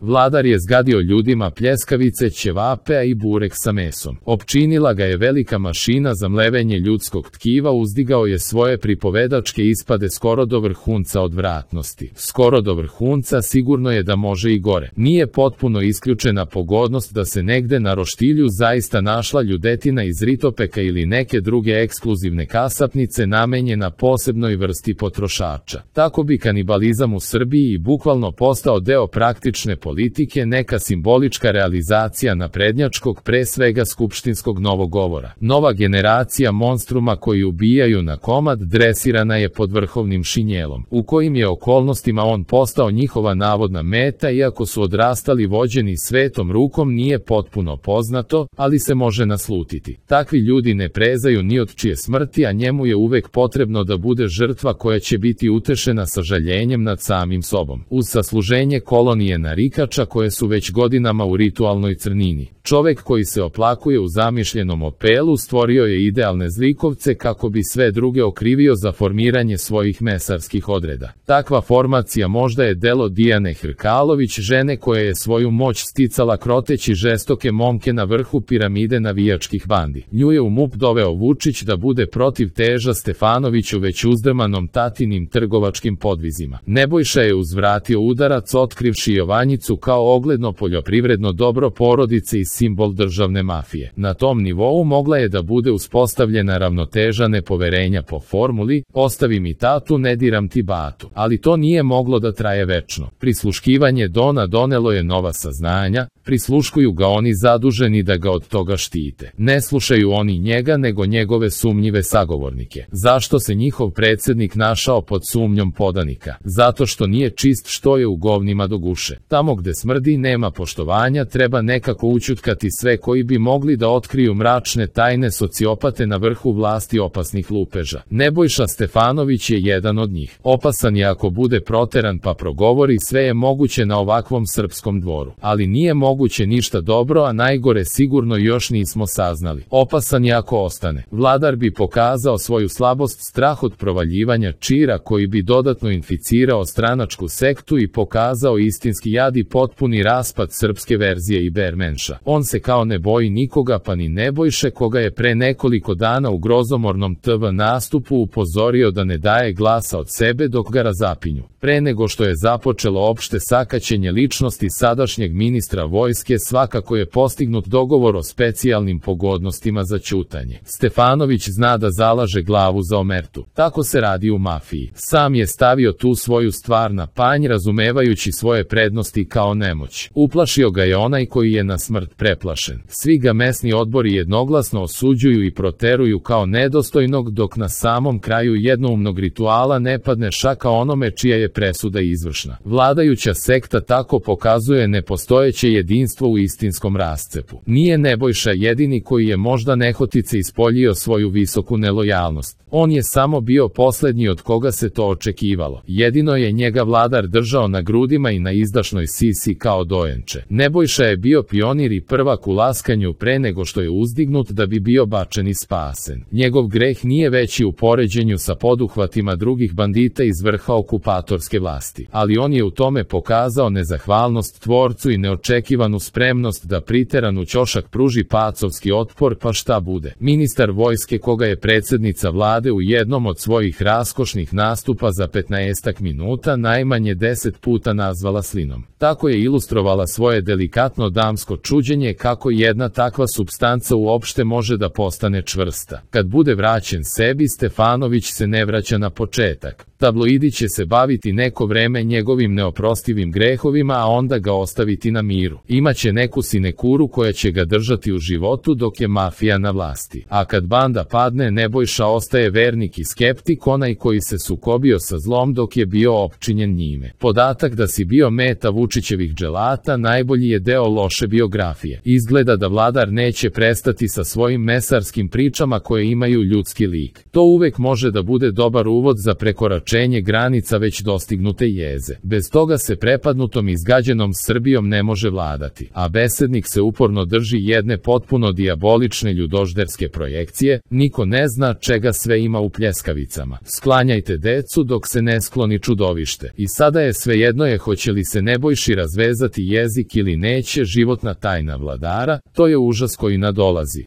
Vladar je zgadio ljudima pljeskavice, ćevape, a i burek sa mesom. Opčinila ga je velika mašina za mlevenje ljudskog tkiva, uzdigao je svoje pripovedačke ispade skoro do vrhunca odvratnosti. Skoro do vrhunca, sigurno je da može i gore. Nije potpuno isključena pogodnost da se negde na roštilju zaista našla ljudetina iz Ritopeka ili neke druge ekskluzivne kasapnice namenjena posebnoj vrsti potrošača. Tako bi kanibalizam u Srbiji i bukvalno postao deo praktične politike, neka simbolička realizacija naprednjačkog, pre svega skupštinskog novogovora. Nova generacija monstruma koji ubijaju na komad dresirana je pod vrhovnim šinjelom, u kojim je okolnostima on postao njihova navodna meta, iako su odrastali vođeni svetom rukom nije potpuno poznato, ali se može naslutiti. Takvi ljudi ne prezaju ni od čije smrti, a njemu je uvek potrebno da bude žrtva koja će biti utešena sažaljenjem nad samim sobom. Uz sasluženje kolonije narikača koje su već godinama u ritualnoj crnini. Čovek koji se oplakuje u zamišljenom opelu stvorio je idealne zlikovce kako bi sve druge okrivio za formiranje svojih mesarskih odreda. Takva formacija možda je delo Dijane Hrkalović, žene koja je svoju moć sticala kroteći žestoke momke na vrhu piramide navijačkih bandi. Nju je u MUP doveo Vučić da bude protiv Teža Stefanoviću već uzdrmanom tatinim trgovačkim podvizima. Nebojša je uzvratio udarac otkrivši Jovanjicu kao ogledno poljoprivredno dobro porodice i simbol državne mafije. Na tom nivou mogla je da bude uspostavljena ravnoteža nepoverenja po formuli ostavi mi tatu, ne diram ti batu. Ali to nije moglo da traje večno. Prisluškivanje Dona donelo je nova saznanja, prisluškuju ga oni zaduženi da ga od toga štite. Ne slušaju oni njega nego njegove sumnjive sagovornike. Zašto se njihov predsjednik našao pod sumnjom podanika? Zato što nije čist, što je u govnima do guše. Tamo gde smrdi nema poštovanja, treba nekako ućutkati sve koji bi mogli da otkriju mračne tajne sociopate na vrhu vlasti opasnih lupeža. Nebojša Stefanović je jedan od njih. Opasan je ako bude proteran pa progovori, sve je moguće na ovakvom srpskom dvoru. Ali nije moguće ništa dobro, a najgore sigurno još nismo saznali. Opasan je ako ostane. Vladar bi pokazao svoju slabost, strah od provaljivanja čira koji bi dodatno inficirao stranačku sektu i pokazao istinski jad i potpuni raspad srpske verzije Ibermenša. On se kao ne boji nikoga, pa ni Nebojše koga je pre nekoliko dana u grozomornom TV nastupu upozorio da ne daje glasa od sebe dok ga razapinju. Pre nego što je započelo opšte sakaćenje ličnosti sadašnjeg ministra vojske, svakako je postignut dogovor o specijalnim pogodnostima za ćutanje. Stefanović zna da zalaže glavu za omertu. Tako se radi u mafiji. Sam je stavio tu svoju stvar na panj, razumevajući svoje prednosti kao nemoć. Uplašio ga je onaj koji je na smrt preplašen. Svi ga mesni odbori jednoglasno osuđuju i proteruju kao nedostojnog, dok na samom kraju jednoumnog rituala ne padne šaka onome čija je presuda izvršna. Vladajuća sekta tako pokazuje nepostojeće jedinstvo u istinskom rascepu. Nije Nebojša jedini koji je možda nehotice ispoljio svoju visoku nelojalnost. On je samo bio poslednji od koga se to očekivalo. Jedino je njega Vladar držao na grudima i na izdašnoj sisi kao dojenče. Nebojša je bio pionir i prvak u laskanju pre nego što je uzdignut da bi bio bačen i spasen. Njegov greh nije veći u poređenju sa poduhvatima drugih bandita iz vrha okupatorske vlasti. Ali on je u tome pokazao nezahvalnost tvorcu i neočekivanu spremnost da priteranu ćošak pruži pacovski otpor, pa šta bude. Ministar vojske koga je predsjednica vlade u jednom od svojih raskošnih nastupa za 15 minuta najmanje 10 puta nazvala slinom. Tako je ilustrovala svoje delikatno damsko čuđenje kako jedna takva supstanca uopšte može da postane čvrsta. Kad bude vraćen sebi, Stefanović se ne vraća na početak. Tabloidi će se baviti neko vreme njegovim neoprostivim grehovima, a onda ga ostaviti na miru. Imaće neku sinekuru koja će ga držati u životu dok je mafija na vlasti. A kad banda padne, Nebojša ostaje vernik i skeptik, onaj koji se sukobio sa zlom dok je bio opčinjen njime. Podatak da si bio meta Vučićevih dželata najbolji je deo loše biografije. Izgleda da Vladar neće prestati sa svojim mesarskim pričama koje imaju ljudski lik. To uvek može da bude dobar uvod za prekoračenje prekoračenje granica već dostignute jeze. Bez toga se prepadnutom i izgađenom Srbijom ne može vladati, a besednik se uporno drži jedne potpuno dijabolične ljudožderske projekcije, niko ne zna čega sve ima u pljeskavicama. Sklanjajte decu dok se ne skloni čudovište. I sada je svejedno je hoće li se Nebojši razvezati jezik ili neće, životna tajna vladara, to je užas koji nadolazi.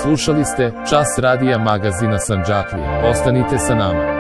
Slušali ste Čas radija magazina Sandžaklije. Ostanite sa nama.